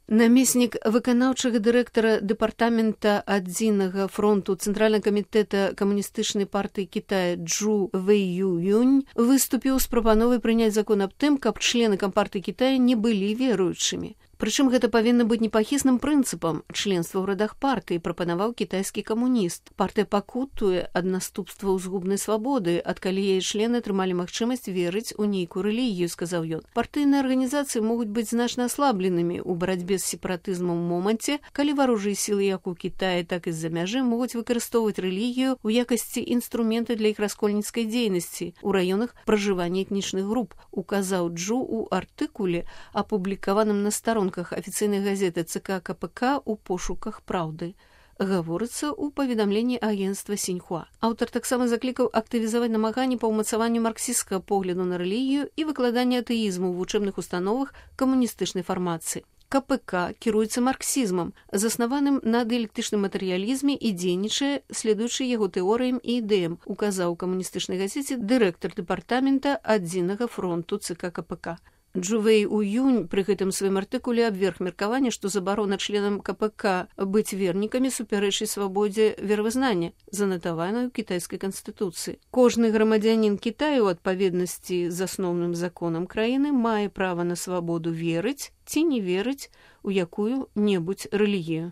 Намеснік выканаўчага дырэктара дэпартамента адзінага фронту Цэнтральнага камітэта камуністычнай партыі Китая Чжу Вэйюнь выступіў з прапановай прыняць закон аб тым, каб члены кампартыі Китая не былі веруючымі. Прычым гэта павінна быць непахісным прынцыпам членства ў радах партыі, прапанаваў кітайскі камуніст. Партыя пакутуе ад наступстваў згубнай свабоды, адкалі яе члены атрымалі магчымасць верыць у нейкую рэлігію, сказаў ён. Партыйныя арганізацыі могуць быць значна аслабленымі ў барацьбе з сепаратызмам у моманце, калі варожыя сілы як у Кітаі, так і з-за мяжы могуць выкарыстоўваць рэлігію ў якасці інструмента для іх раскольніцкай дзейнасці ў раёнах пражывання этнічных груп, указаў Чжу ў артыкуле, апублікаваным на старонках афіцыйнай газеты ЦК КПК у пошуках праўды. Гаворыцца ў паведамленні агенцтва Сіньхуа. Аўтар таксама заклікаў актывізаваць намаганні па ўмацаванню марксісцкага погляду на рэлігію і выкладанне атэізму ў вучэбных установах камуністычнай фармацыі. КПК кіруецца марксізмам, заснаваным на дыялектычным матэрыялізме і дзейнічае, следуючы яго тэорыям і ідэям, указаў у камуністычнай газеце дырэктар дэпартамента адзінага фронту ЦК КПК. Чжу Вэйюнь пры гэтым сваім артыкуле абверг меркаванне, што забарона членам КПК быць вернікамі супярэчыць свабодзе веравызнання, занатаваной у кітайскай канстытуцыі. Кожны грамадзянін Кітаю ў адпаведнасці з асноўным законам краіны мае права на свабоду верыць ці не верыць у якую-небудзь рэлігію.